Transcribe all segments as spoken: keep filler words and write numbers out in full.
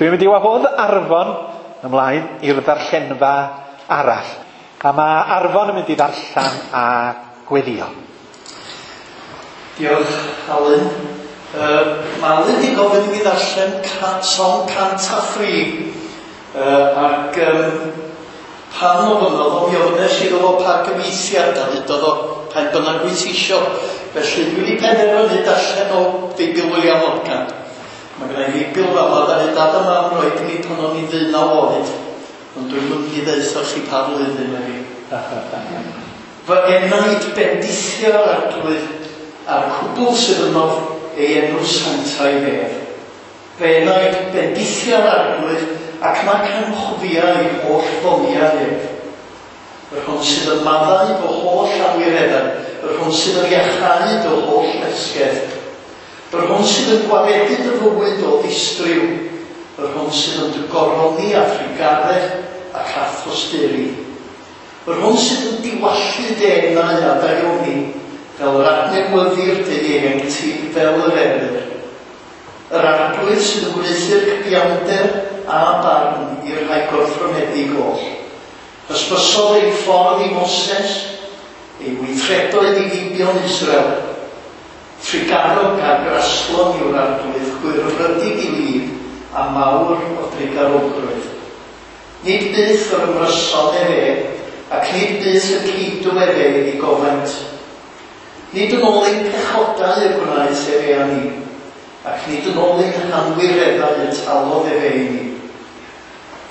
Dwi'n mynd i wahodd Arfon ymlaen i'r ddarllenfa arall. A mae Arfon yn mynd i ddarllen a gweddio. Diolch, Alun. Uh, mae Alun wedi gofyn i mi ddarllen Salm cant a thri. Uh, ac um, pan ofynnodd o, mi ofynnes iddo fo pa gyfieithiad a ddudodd o pa bynnag wyt ti isio. Felly dwi wedi penderfynu darllen o Feibl William Morgan. Mae gen i Feibl fama, ddaru dad a mam roed i mi pan o'n i ddeunaw oed. Ond dwi'n mynd i ddeutha chi pa flwyddyn ydi. Fy enaid bendithio'r Arglwydd a'r cwbl sydd ynof ei enw sanctaidd ef. Fy enaid bendithio'r Arglwydd ac nac anghofia ei holl ddoniau ef. Yr hwn sydd yn maddau fy holl anwireddau, yr hwn sydd yn iachau dy holl lesgedd. Yr hwn sydd yn gwaredu dy fywyd o ddistryw, yr hwn sydd yn dy goroni a thrugaredd ac a thosturi. Yr hwn sydd yn diwallu dy enau a daioni, fel yr adnewyddir dy ieuenctid fel yr eryr. Yr Arglwydd sydd yn gwneuthur cyfiawnder a barn i'r rhai gorthrymedig oll. Hysbysodd ei ffordd i Moses, ei weithredoedd i feibion Israel. Trugarog a graslon yw'r Arglwydd, chwyrfrydig i lid a mawr o drugarogrwydd. Nid byth yr ymryson efe, ac nid byth y ceidw efe ei gofaint. Nid yn ôl ein pechodau y gwnaeth efe â ni, ac nid yn ôl ein hanwireddau y talodd efe i ni.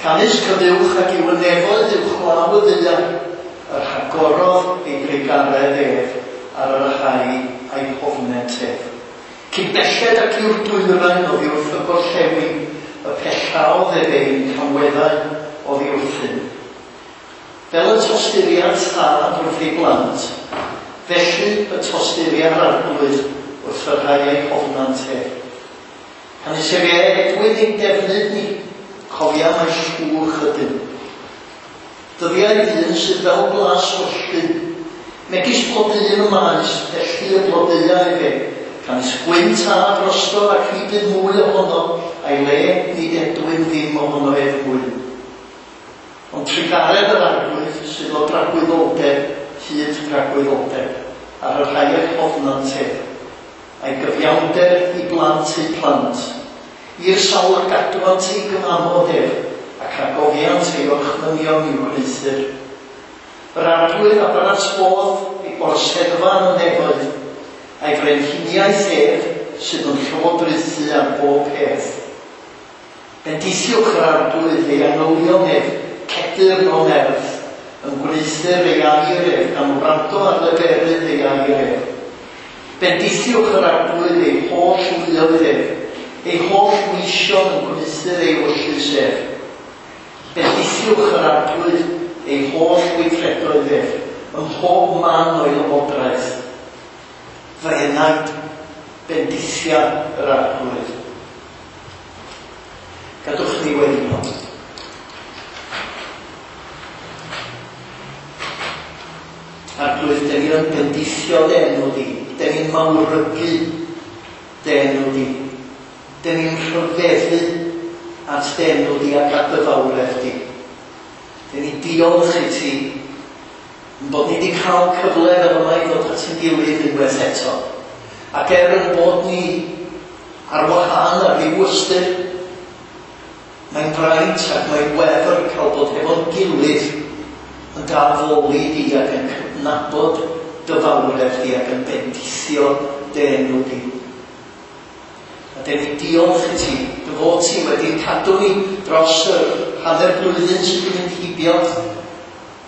Canys cyfuwch ac yw y nefoedd uwchlaw y ddaear, yr rhagorodd ei drugaredd ef ar y rhai a'i hofnent ef. Cyn belled ac yw'r dwyrain oddi wrth y gorllewin, y pellaodd ef ein camweddau oddi wrthym. Fel y tosturia'r tad wrth ei blant, felly y tosturia'r Arglwydd wrth y rhai a'i hofnant ef. Canys efe edwyn ein defnydd ni, cofia mai llwch ydym. Dyddiau dyn sydd fel glaswelltyn, megis blodeuyn y maes, felly y blodeuau efe, canys gwynt a drosto ac ni bydd mwy ohono, a'i le nid edwyn ddim ohono ef mwy. Ond trugaredd yr Arglwydd sydd o dragwyddoldeb hyd dragwyddoldeb, ar y rhai a'i hofnant ef, a'i gyfiawnder i blant eu plant, i'r sawl a gadwant ei gyfamod ef, ac a gofiant ei orchmynion i'w gwneuthur. Yr Arglwydd a baratôdd ei orseddfa yn y nefoedd, a'i frenhiniaeth ef sydd yn llywodraethu ar bob peth. Bendithiwch yr Arglwydd ei angylion ef, cedyrn o nerth, yn gwneuthur ei air ef, gan wrando ar leferydd ei air ef. Bendithiwch yr Arglwydd ei holl luoedd ef, ei holl weision yn gwneuthur ei ewyllys ef. Bendithiwch yr Arglwydd ei holl weithredoedd ef, ym mhob man o'i lywodraeth. Fy enaid, bendithia yr Arglwydd. Gadwch ni weddïo. Arglwydd, dan ni yn bendithio dy enw di, dan ni'n mawrygu dy enw di, dan ni'n rhyfeddu at dy enw di ac at dy fawredd di. Dan ni'n diolch i ti yn bod ni wedi cael cyfle fel yma i ddod at ein gilydd unwaith eto. Ac er yn bod ni ar wahân ar ryw ystyr, mae'n fraint ac mae'n wefr cael bod hefo'n gilydd yn addoli di ac yn cydnabod dy fawredd di ac yn bendithio dy enw di. A dan ni'n diolch i ti, dy fod ti wedi cadw ni dros yr hanner blwyddyn sydd wedi mynd heibio,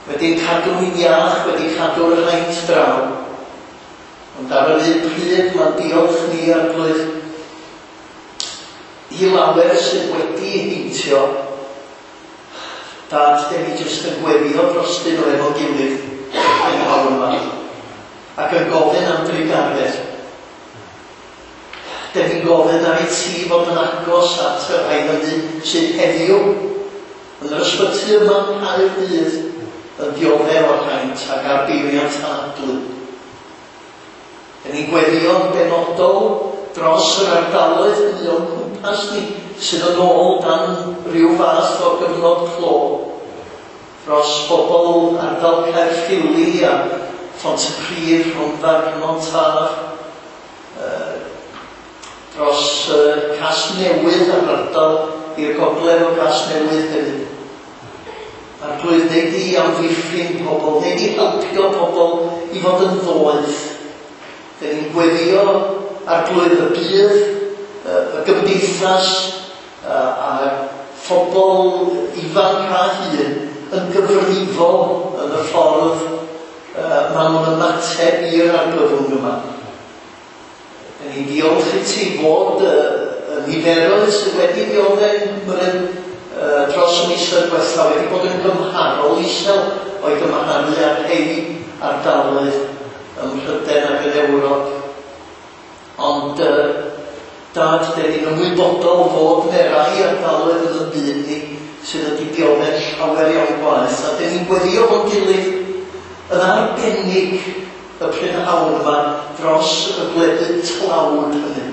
wedi cadw ni'n iach, wedi cadw'r haint draw. Ond ar yr un pryd mae'n diolch ni, Arglwydd, i lawer sydd wedi heintio. Dad, dan ni jyst yn gweddio drostyn nhw efo'n gilydd yn hawl yma, ac yn gofyn am drugaredd. Dan ni'n gofyn ar i ti fod yn agos at y rhai hynny sydd heddiw yn yr ysbyty yma yng Nghaerdydd yn dioddef o'r haint ac ar beiriant anadlu. Dan ni'n gweddio'n benodol dros yr ardaloedd hynny o'n cwmpas cwmpas ni sydd yn ôl dan ryw fath o gyfnod clo, dros bobl ardal Caerffili a Phontypridd, Rhondda, Cynon Taf, uh, dros uh, Casnewydd a'r ardal i'r gogledd o Casnewydd hefyd. Arglwydd, wnei di amddiffyn pobl, wnei di helpio pobl i fod yn ddoeth. Dyn ni'n gweddio Arglwydd y bydd, y gymdeithas a phobl ifanc a hŷn yn gyfrifol yn y ffordd maen nhw'n ymateb i'r argyfwng yma. Dyn ni'n diolch i ti fod y niferoedd sydd wedi dioddef Nghymru dros y misoedd diwethaf wedi bod yn gymharol isel o'i gymharu â rhai ardaloedd ym Mhrydain ac yn Ewrop. Ond uh, Dad, dyn ni'n ymwybodol fod yna rai ardaloedd yn y byd ni sydd wedi dioddef llawer iawn gwaeth, a dyn ni'n gweddio fo'n gilydd yn arbennig y prynhawn yma dros y gwledydd tlawd hynny,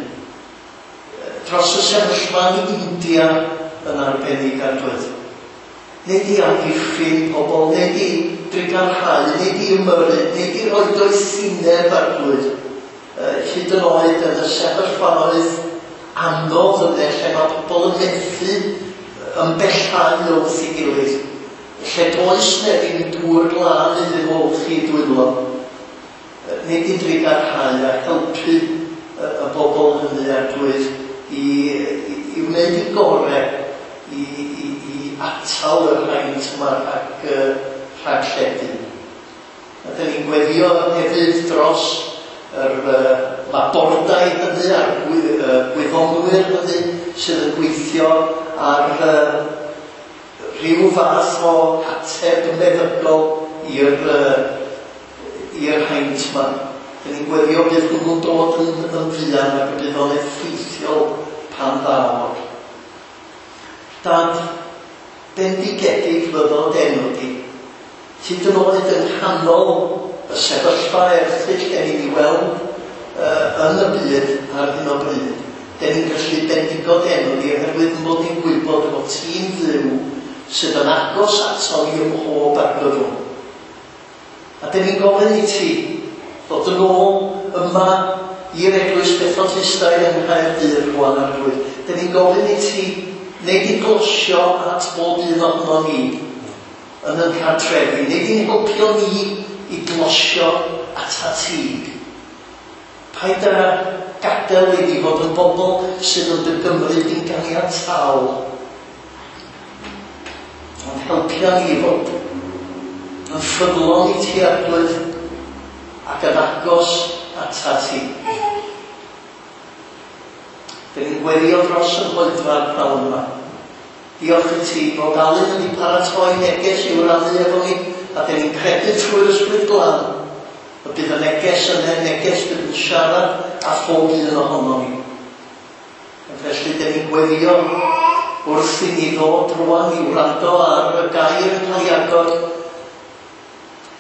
dros y sefyllfa yn India yn arbennig, Arglwydd. Wnei di amddiffyn pobl, wnei di drugarhau, wnei di ymyrryd, wnei di roi doethineb, Arglwydd, hyd yn oed yn y sefyllfaoedd anodd yna lle mae pobl yn methu ymbellhau wrth ei gilydd, lle does na ddim dŵr glân iddyn nhw olchi dwylo. Wnei di drugarhau a helpu y bobl hynny, Arglwydd, i, i, i wneud i gorau i, i, i atal yr haint yma rhag, rhag lledu. A dyn ni'n gweddio hefyd dros yr uh, labordai hynny a'r gwy, uh, gwyddonwyr hynny sydd yn gweithio ar uh, rhyw fath o ateb meddygol i'r uh, i'r haint yma. Dyn ni'n gweddio bydd hwnnw'n dod yn, yn fuan ac y bydd o'n effeithiol pan ddaw. Dad, bendigedig fyddo d'enw di. Hyd yn oed yng nghanol y sefyllfa erchyll den ni'n ei weld uh, yn y byd ar hyn o bryd, den ni'n gallu bendigo d'enw di oherwydd mod ni'n gwybod bod ti'n Dduw sydd yn agos ato ni ym mhob argyfwng. A den ni'n gofyn i ti ddod yn ôl yma i'r Eglwys Methodistaidd yng Nghaerdydd rwan, Arglwydd. Den ni'n gofyn i ti wneud i glosio at bob un ohono ni yn yn cartrefi, wneud i'n helpio ni i glosio ata ti. Paid â gadael i ni fod yn bobl sydd yn dy gymryd i'n ganiataol, ond helpio ni fod yn ffyddlon i ti, Arglwydd, ac yn agos ata ti. Dyn ni'n gweddio dros yr oedfa'r pnawn yma. Diolch i ti fod Alun wedi paratoi neges i'w rannu efo ni, a dyn ni'n credu trwy'r Ysbryd Glân y bydd y neges yna, neges bydd yn siarad â phob un ohono ni. A felly dyn ni'n gweddio wrth i ni ddod rwan i wrando ar y gair yn cael ei agor.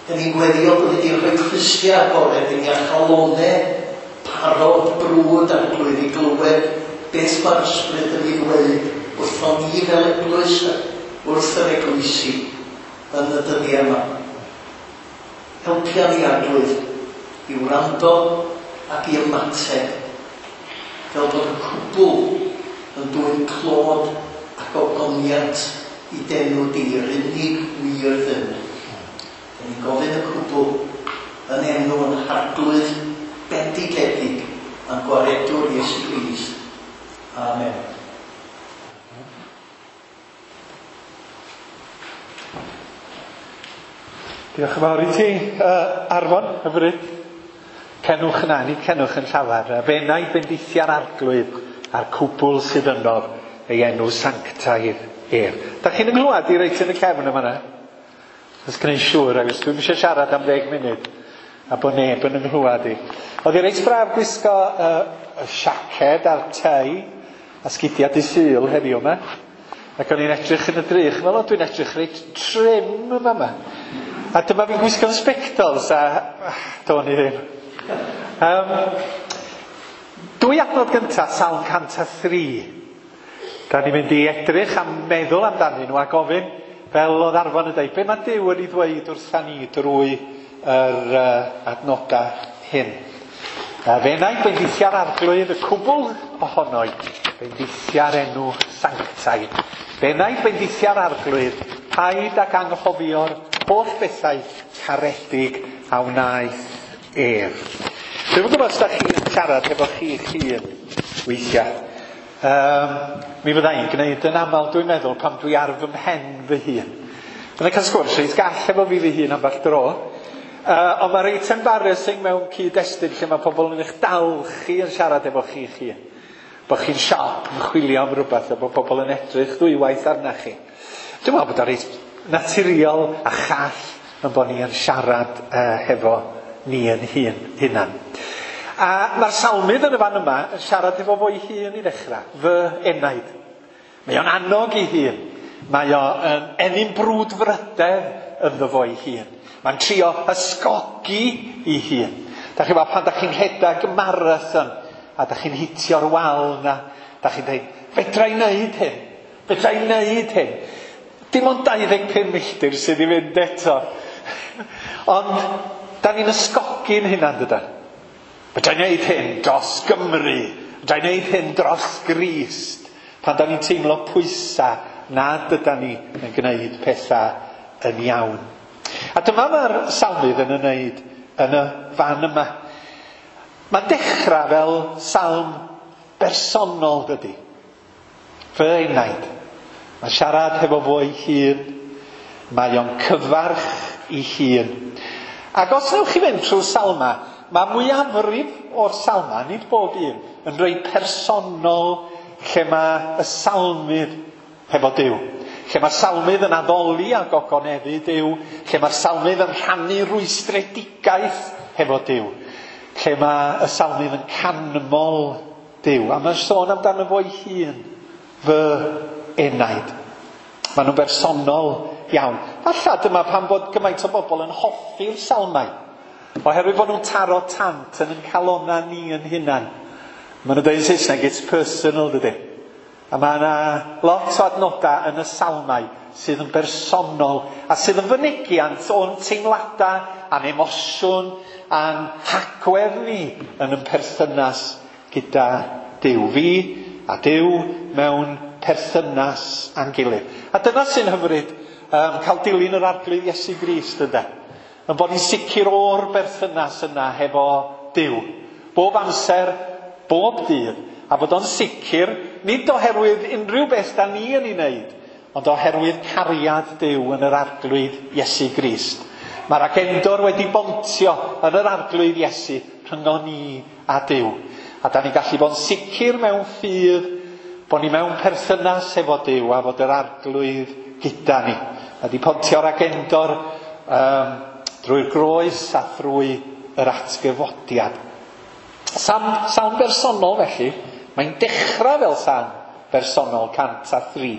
Dyn ni'n gweddio bod wedi rhoi clustiau agored i ni a chalonau parod brwd Arglwydd i glywed beth mae'r Ysbryd yn ei ddweud wrthon ni fel eglwys, wrth yr eglwysi yn y dyddiau yma. Helpia ni, Arglwydd, i wrando ac i ymateb, fel bod y cwbl yn dwyn clod ac ogoniant i d'enw di, yr unig wir Dduw. Dyn ni'n gofyn y cwbl yn enw yn Harglwydd bendigedig a'n gwaredwr Iesu Grist. Amen. Diolch yn fawr i ti, uh, Arfon, hyfryd. Cenwch yna, ni cenwch yn llafar. Fe wna i bendithia'r Arglwydd a'r cwbl sydd yno, ei enw sanctaidd ef. Da chi'n ynghlywed i reit yn y cefn yma na? Os gwneud siŵr, agos dwi'n eisiau siarad am ddeg munud a bod neb yn ynghlywed i. Oedd hi reit braf gwisgo uh, y siaced a'r tei a sgidiau dydd Sul heddiw yma. Ac o'n i'n edrych yn y drych, fel o dwi'n edrych reit trim yma yma. A dyma fi'n gwisgo'n sbectols a do'n i ddim. Um, dwy adnod gyntaf, Salm cant a thri. Da ni'n mynd i edrych am meddwl amdanyn nhw a gofyn, fel oedd Arfon yn dweud, be mae Duw yn ei ddweud wrtha ni drwy yr uh, adnodau hyn. Uh, fe enaid bendithia'r Arglwydd y cwbl ohono, bendithia'r enw sanctaidd. Fe enaid bendithia'r Arglwydd, paid ac anghofio'r holl bethau caredig a wnaeth ef. Dwi'm yn gwybod os da chi'n siarad efo chi'ch hun weithiau. Um, mi fydda i'n gwneud yn aml, dwi'n meddwl, pan dwi ar fy mhen fy hun. Byddai'n cael sgwrs reit gall efo fi fy hun ambell dro. Uh, ond mae reit embarrassing mewn cyd-destun lle mae pobl yn eich dal chi yn siarad efo chi'ch hun. Bod chi'n siop yn chwilio am rhywbeth a bod pobl yn edrych ddwywaith arna chi. Dwi'n meddwl bod o'n reit naturiol a chall yn bod ni yn siarad uh, hefo ni yn hun, hunan. A mae'r salmydd yn y fan yma yn siarad efo fo'i hun i ddechrau, fy enaid. Mae o'n annog ei hun. Mae o'n ennyn brwdfrydedd ynddo fo'i hun. Mae'n trio ysgogi ei hun. Da chi'n gwybod, pan da chi'n rhedeg marathon a da chi'n hitio'r wal na, da chi'n dweud, fedra i wneud hyn, fedra i wneud hyn. Dim ond dau ddeg pum milltir sydd i fynd eto. Ond da ni'n ysgogi'n hunan, dydan? Fedra i wneud hyn dros Gymru, fedra i wneud hyn dros Grist. Pan da ni'n teimlo pwysau nad ydan ni yn gwneud pethau yn iawn. A dyma mae'r salmydd yn ei wneud yn y fan yma. Mae'n dechrau fel salm bersonol, dydy. Fy enaid. Mae'n siarad hefo fo'i hun. Mae o'n cyfarch ei hun. Ac os newch chi fynd trwy salma, mae mwyafrif o'r salma, nid bob un, yn rhoi personol lle mae y salmydd hefo Duw. Lle mae'r salmydd yn addoli a gogoneddu Duw. Lle mae'r salmydd yn rhannu rwystredigaeth hefo Duw. Lle mae y salmydd yn canmol Duw. A mae'n sôn amdano fo'i hun, fy enaid. Maen nhw'n bersonol iawn. Falla dyma pam bod gymaint o bobl yn hoffi'r salmau. Oherwydd bod nhw'n taro tant yn ein calona ni yn hunan. Maen nhw'n dweud yn Saesneg, it's personal, dydy. A mae yna lot o adnodau yn y salmau sydd yn bersonol a sydd yn fynegiant o'n teimladau a'n emosiwn a'n hagwedd ni yn ein perthynas gyda Duw. Fi a Duw mewn perthynas â'n gilydd. A dyna sy'n hyfryd um, cael dilyn yr Arglwydd Iesu Grist, ynde? Yn bod ni'n sicr o'r berthynas yna hefo Duw. Bob amser, bob dydd. A bod o'n sicr, nid oherwydd unrhyw beth da ni yn ei wneud, ond oherwydd cariad Duw yn yr Arglwydd Iesu Grist. Mae'r agendor wedi bontio yn yr Arglwydd Iesu rhyngon ni a Duw. A da ni'n gallu bod yn sicr mewn ffydd bod ni mewn perthynas efo Duw a fod yr Arglwydd gyda ni. A di pontio'r agendor um, drwy'r groes a thrwy yr atgyfodiad. Salm, salm bersonol felly, mae'n dechrau fel salm bersonol cant a thri.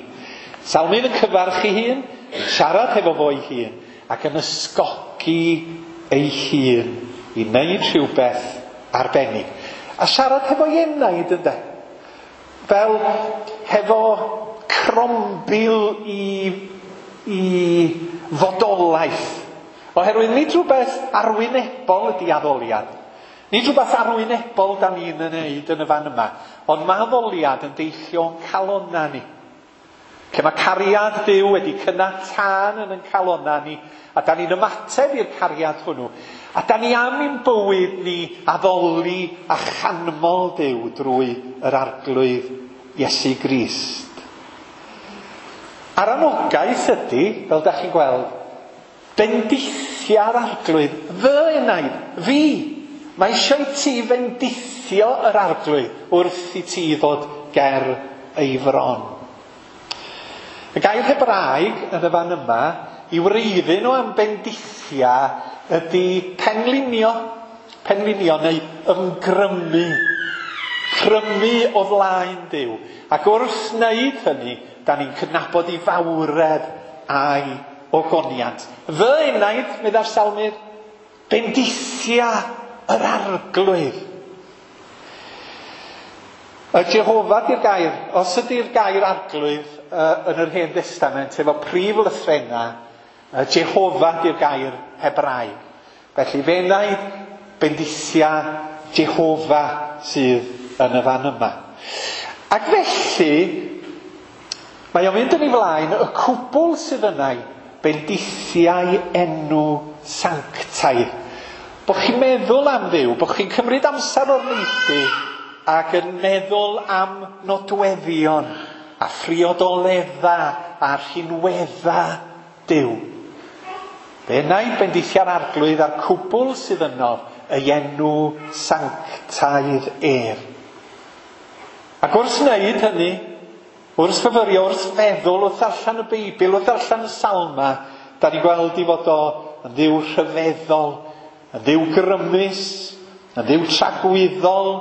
Salmydd yn cyfarch ei hun, yn siarad hefo fo'i hun, ac yn ysgogi ei hun i wneud rhywbeth arbennig. A siarad hefo'i enaid, ynde? Fel hefo crombil i, i fodolaeth. Oherwydd nid rhywbeth arwynebol ydy addoliad. Nid rhywbeth arwynebol da ni'n ei wneud yn y fan yma, ond mae addoliad yn deillio o'n calonna ni. Lle mae cariad Duw wedi cynnau tân yn ein calonna ni, a da ni'n ymateb i'r cariad hwnnw. A da ni am i'n bywyd ni addoli a chanmol Duw drwy yr Arglwydd Iesu Grist. A'r anogaeth ydy, fel da chi'n gweld, bendithia'r Arglwydd, fy enaid, fi. Mae eisiau i ti fendithio yr Arglwydd wrth i ti ddod ger ei fron. Y gair Hebraeg yn y fan yma, i wreiddyn nhw am bendithia ydy penlinio, penlinio neu ymgrymu, crymu o flaen Duw. Ac wrth wneud hynny, da ni'n cydnabod ei fawredd a'i ogoniant. Fy enaid, meddai'r salmydd, bendithia yr Arglwydd. Y Jehofa di'r gair, os ydy'r gair arglwydd uh, yn yr Hen Destament efo prif lythrena, uh, Jehofa di'r gair Hebraeg. Felly fe enaid bendithia Jehofa sydd yn y fan yma. Ac felly, mae o'n mynd yn ei flaen, y cwbl sydd yna bendithiau enw sanctaidd. Bo chi'n meddwl am Dduw, bo chi'n cymryd amser o'r neilltu ac yn meddwl am nodweddion a phriodoledda a rhinwedda Duw. Fe enaid bendithiau'r arglwydd a'r cwbl sydd yno, ei enw sanctaidd ef. Ac wrth wneud hynny, wrth fyfyrio, wrth feddwl, wrth ddarllen y Beibl, wrth ddarllen y Salma, da ni'n gweld i fod o yn ddiw rhyfeddol, yn ddiw grymus, yn ddiw tragwyddol,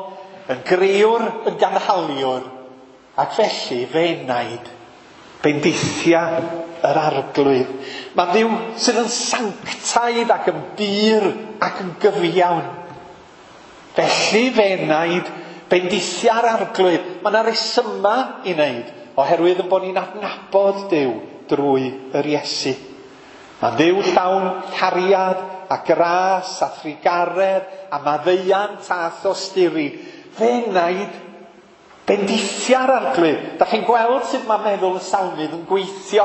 yn grëwr, yn ganhaliwr, ac felly fe enaid bendithia yr arglwydd. Mae'n ddiw sydd yn sanctaidd ac yn bur ac yn gyfiawn. Felly fe enaid bendithia'r arglwydd. Mae yna resyma i wneud, oherwydd yn bod ni'n adnabod Duw drwy yr Iesu. Mae'n Dduw llawn cariad a gras a thrugaredd a maddeuant a thosturi. Fe enaid bendithia'r arglwydd. Da chi'n gweld sut mae meddwl y salmydd yn gweithio.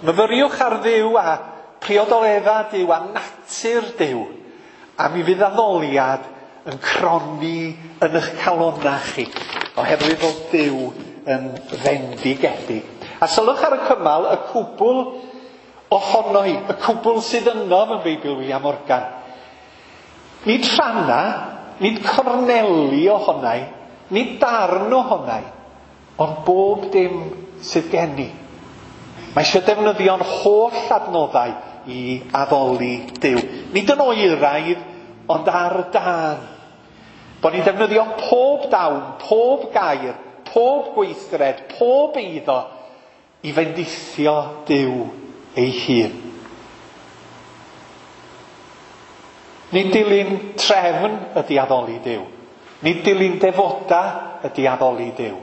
Myfyriwch ar Dduw a priodoledda Duw a natur Duw. A mi fydd addoliad yn cronni yn eich calonnau chi, oherwydd fod Duw yn fendigedig. A sylwch ar y cymal, y cwbl ohono hi, y cwbl sydd yno yn Beibl William Morgan. Nid rhanna, nid corneli ohonau, nid darn ohonau, ond bob dim sydd gen i. Mae eisiau defnyddio'n holl adnoddau i addoli Duw. Nid yn oeraidd, ond ar dân. Bod ni'n defnyddio pob dawn, pob gair, pob gweithred, pob eiddo i fendithio Duw ei hun. Nid dilyn trefn ydy addoli Duw. Nid dilyn defoda ydy addoli Duw.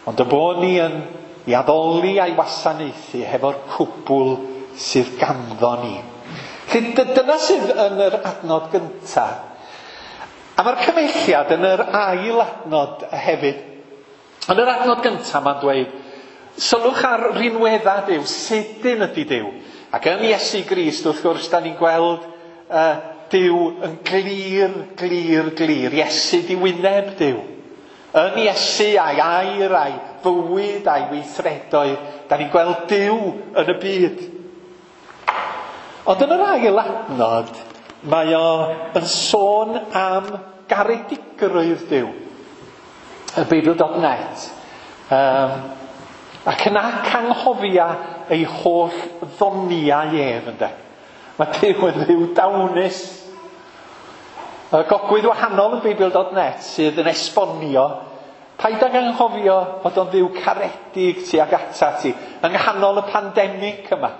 Ond y bod ni yn i addoli a'i wasanaethu hefo'r cwbl sydd ganddo ni. Felly dyna sydd yn yr adnod gyntaf. A mae'r cymelliad yn yr ail adnod hefyd. Yn yr adnod gyntaf mae'n dweud, sylwch ar rinwedda Duw, sydyn ydy Duw. Ac yn Iesu Grist, wrth gwrs, da ni'n gweld uh, Duw yn glir, glir, glir. Iesu di wyneb Duw. Yn Iesu a'i air, a'i fywyd, a'i weithredoedd, da ni'n gweld Duw yn y byd. Ond yn yr ail adnod, mae o yn sôn am garedigrwydd Duw. Y Beibl dot net. Um, ac yna canghofia ei holl ddoniau ef, ynde. Mae Duw yn dduw dawnus. Y gogwydd wahanol yn Beibl dot net sydd yn esbonio, paid ag anghofio fod o'n dduw caredig tuag ata ti, yng nghanol y pandemig yma,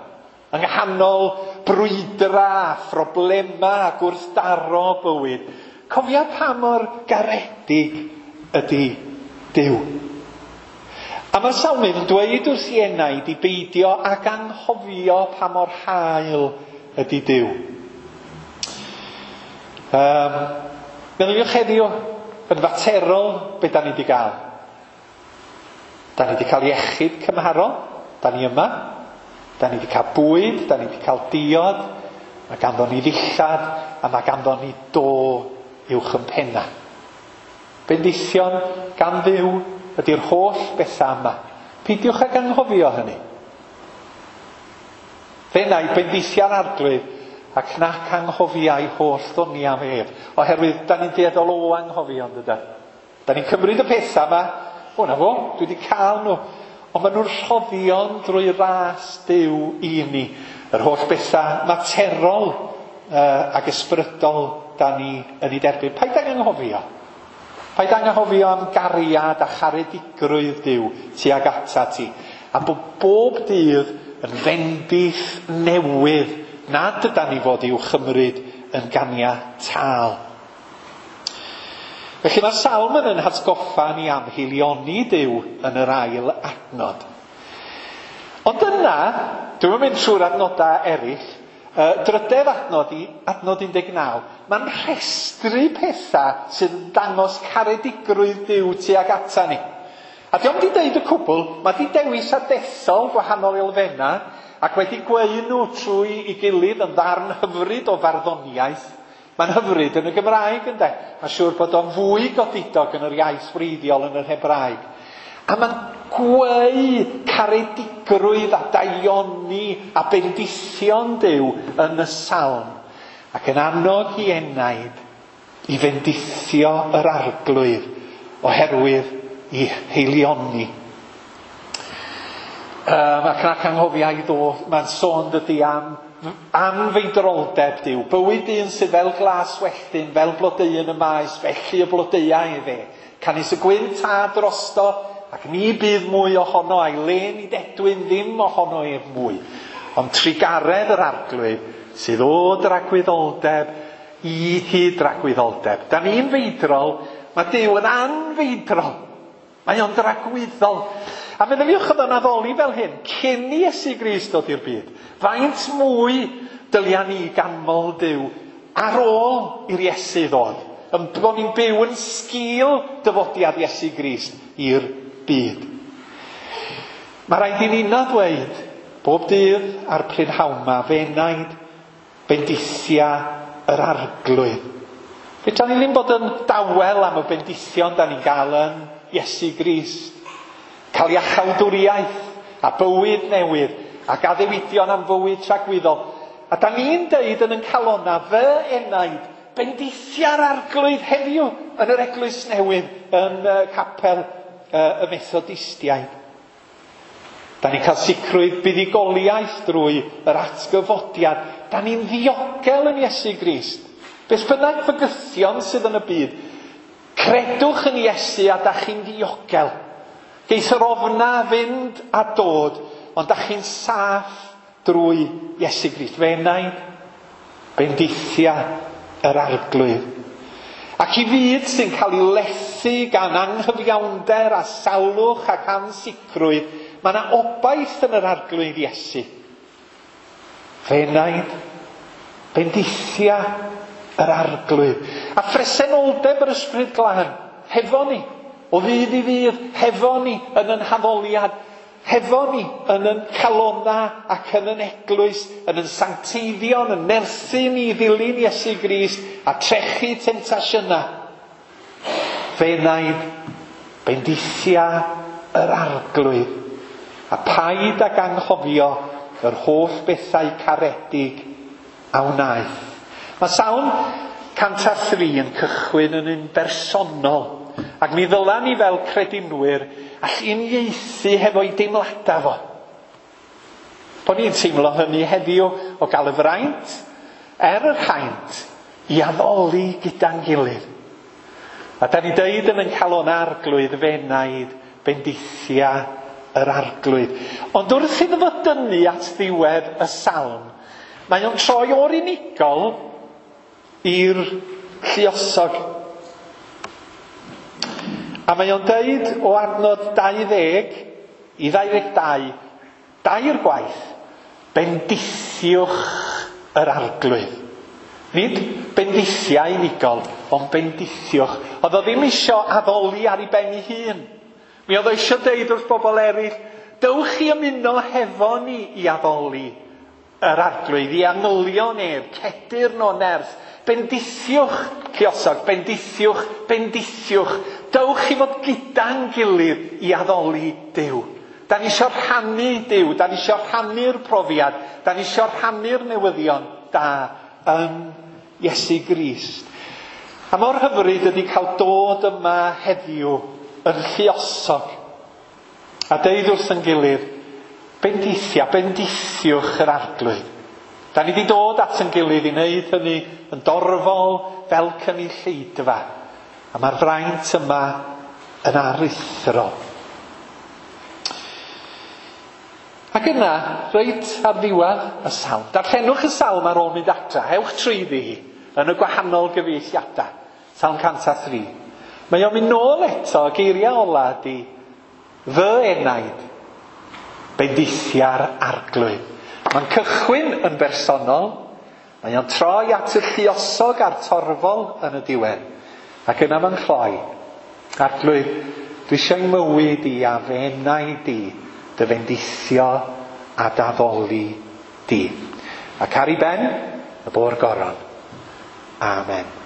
yng nghanol brwydra a phroblema a gwrthdaro bywyd. Cofia pa mor garedig ydy Duw. A mae'r salmydd yn dweud wrth i enaid i beidio ag anghofio pa mor hael ydy Duw. Um, meddyliwch heddiw yn faterol be da ni wedi gael. Da ni wedi cael iechyd cymharol, da ni yma. Da ni wedi cael bwyd, da ni wedi cael diod, mae ganddo ni ddillad, a mae ganddo ni do uwch yn penna. Bendithion gan Dduw ydy'r holl bethau yma. Peidiwch ag anghofio hynny. Fe wna i bendithiau'r arglwydd ac nac anghofiau holl ddoniau ef. Oherwydd, da ni'n dueddol o anghofio, yndydan? Da ni'n cymryd y pethau yma, o na fo, dwi wedi cael nhw. Ond maen nhw'n rhoddion drwy ras Duw i ni. Yr holl bethau materol uh, ac ysbrydol da ni yn ei derbyn. Paid ag anghofio. Paid anghofio am gariad a charedigrwydd Duw tuag ata ti. A bod bob dydd yn fendith newydd nad ydan ni fod i'w chymryd yn ganiataol. Felly mae'r salm yn yn hatgoffa ni am haelioni Duw yn yr ail adnod. Ond yna, dwi'm yn mynd trwy'r adnodau eraill, uh, drydedd adnod i adnod un deg naw, mae'n rhestru pethau sydd yn dangos caredigrwydd Duw tuag ata ni. A dio'm di deud y cwbl, mae di dewis a dethol gwahanol elfennau ac wedi gweu nhw trwy ei gilydd yn ddarn hyfryd o farddoniaeth. Mae'n hyfryd yn y Gymraeg, ynde? Mae'n siŵr bod o'n fwy godidog yn yr iaith wreiddiol yn yr Hebraeg. A mae'n gweu caredigrwydd a daioni a bendithion Duw yn y salm. Ac yn annog i enaid i fendithio yr Arglwydd oherwydd i haelioni. Um, ac nac anghofia i ddod, mae'n sôn dydy am anfeidroldeb Duw. Bywyd un sydd fel glas welltyn, fel blodeuyn y maes, felly y blodeuau efe. Canys y gwynt a drosto, ac ni bydd mwy ohono, a'i le ni dedwyn ddim ohono ef mwy. Ond trugaredd yr Arglwydd sydd o dragwyddoldeb i hyd dragwyddoldeb. Da ni'n feidrol, mae Duw yn anfeidrol. Mae o'n dragwyddol. A meddyliwch oedd o'n addoli fel hyn, cyn i Iesu Grist dod i'r byd. Faint mwy dylia ni ganmol Duw ar ôl i'r Iesu ddod. Yn bod ni'n byw yn sgil dyfodiad Iesu Grist i'r byd. Mae rhaid i ni ddweud bob dydd a'r prynhawn ma, fenaid bendithia yr Arglwydd. Fedra ni ddim bod yn dawel am y bendithion da ni'n gael yn Iesu Grist. Cael iachawdwriaeth a bywyd newydd ac addewidion am fywyd tragwyddol. A da ni'n deud yn yn calona, fy enaid, bendithia'r Arglwydd heddiw yn yr eglwys newydd yn uh, capel uh, y Methodistiaid. Da ni'n cael sicrwydd buddugoliaeth drwy yr atgyfodiad. Da ni'n ddiogel yn Iesu Grist. Beth bynnag fygythion sydd yn y byd, credwch yn Iesu a da chi'n ddiogel. Geith yr ofna fynd a dod, ond da chi'n saff drwy Iesu Grist. Fe enaid, bendithia yr Arglwydd. Ac i fyd sy'n cael ei lethu gan anghyfiawnder a salwch ac ansicrwydd, mae yna obaith yn yr Arglwydd Iesu. Fe enaid, bendithia yr Arglwydd. A phresenoldeb yr Ysbryd Glân, hefo ni, o ddydd i ddydd, hefo ni yn yn haddoliad, hefo ni yn yn calona ac yn yn eglwys, yn yn sancteiddion, yn nerthu ni i ddilyn Iesu Grist a trechu temtasiynau. Fe enaid, bendithia yr Arglwydd. A paid ag anghofio yr holl bethau caredig a wnaeth. Mae Salm cant a thri yn cychwyn yn un bersonol. Ac mi ddyla ni fel credinwyr all uniaethu hefo'i deimladau fo. Bod ni'n teimlo hynny heddiw o gael y fraint er yr haint i addoli gyda'n gilydd. A da ni deud yn yn calon Arglwydd, fenaid, bendithia yr Arglwydd. Ond wrth iddo fo dynnu at ddiwedd y salm, mae o'n troi o'r unigol i'r lluosog. A mae o'n deud o adnod dau ddeg i ddau ddeg dau, dair gwaith, bendithiwch yr Arglwydd. Nid bendithia unigol, ond bendithiwch. Oedd o ddim isio addoli ar ei ben ei hun. Mi oedd o isio deud wrth bobl eraill, dewch i ymuno hefo ni i addoli yr Arglwydd, i angylion ef, cedyrn o nerth. Bendithiwch, lluosog, bendithiwch, bendithiwch. Dewch i fod gyda'n gilydd i addoli Duw. Da ni isio rhannu Duw, da ni isio rhannu'r profiad, da ni isio rhannu'r newyddion da yn Iesu Grist. A mor hyfryd ydy cael dod yma heddiw yn lluosog. A deud wrth yn gilydd, bendithia, bendithiwch yr Arglwydd. Da ni wedi dod at yn gilydd i wneud hynny yn dorfol fel cynulleidfa. A mae'r fraint yma yn aruthrol. Ac yna, reit ar ddiwedd y salm. Darllenwch y salm ar ôl mynd adra. Ewch trwyddi hi yn y gwahanol gyfieithiadau. Salm cant a thri. Mae o'n mynd nôl eto, geiriau ola ydi, fy enaid, bendithia'r arglwydd. Mae'n cychwyn yn bersonol, mae o'n troi at y lluosog a'r torfol yn y diwedd. Ac yna mae'n cloi. Arglwydd, dwi eisiau mywyd i a fy enaid i, dy fendithio a d'addoli di. Ac ar ei ben, y bo'r goron. Amen.